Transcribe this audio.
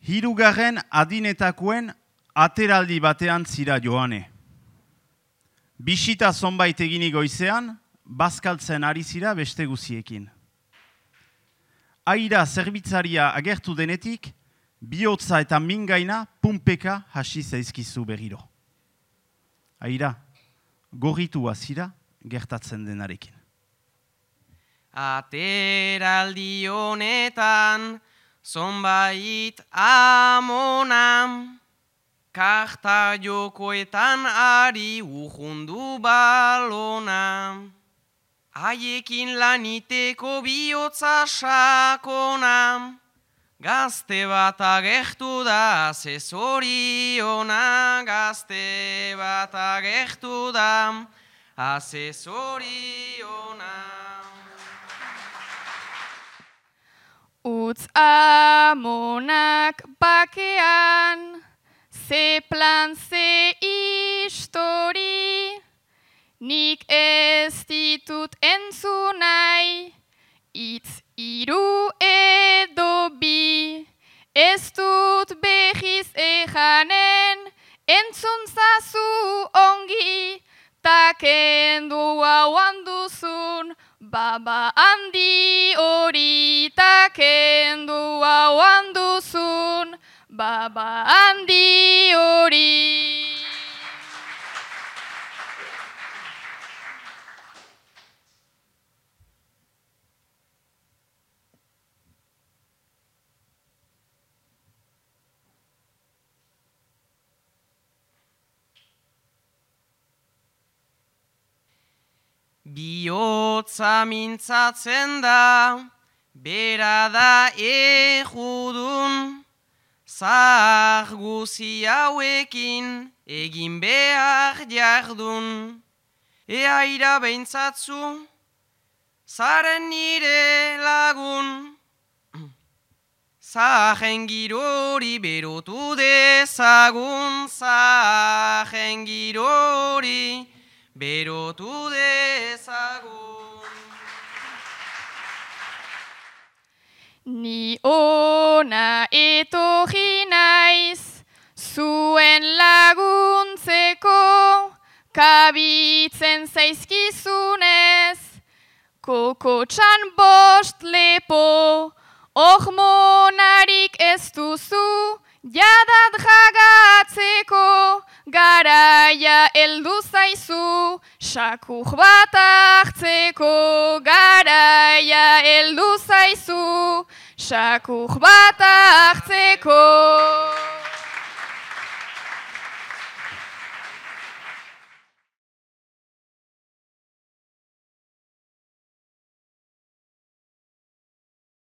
Hirugarren adinetakoen ateraldi batean zira joane. Bisita zonbait eginik goizean, bazkaltzen ari zira beste guziekin. Aira zerbitzaria agertu denetik, bihotza eta mingaina punpeka hasi zaizkizu berriro. Aira, gorritua zira gertatzen denarekin. Ateraldi honetan, zonbait amonam, karta jokoetan ari urrundu balona. Haiekin laniteko bihotza sakona, gazte bat agertu da asesoriona, gazte bat agertu da asesoriona. Utz amonak bakean, ze plan, ze histori, nik ez ditut entzun nahi, itz hiru edo bi, ez dut behiz ejanen, entzun zazu ongi, ta kendu hauan duzun, baba handi hori, ta kendu hauan duzun, baba handi hori. Bihotza mintzatzen da, bera da ejudun, zahar guzi hauekin egin behar jardun. Aira behintzatzu, zaren nire lagun, zahen girori berotu dezagun, zahen girori berotu dezagun. Ni ona etorri naiz, zuen laguntzeko, kabitzen zaizkizunez, kokotxan bost lepo, hormonarik ez duzu, jadat jagatzeko, garaia heldu zaizu, sakur bat hartzeko, garaia heldu zaizu, sakur bat hartzeko.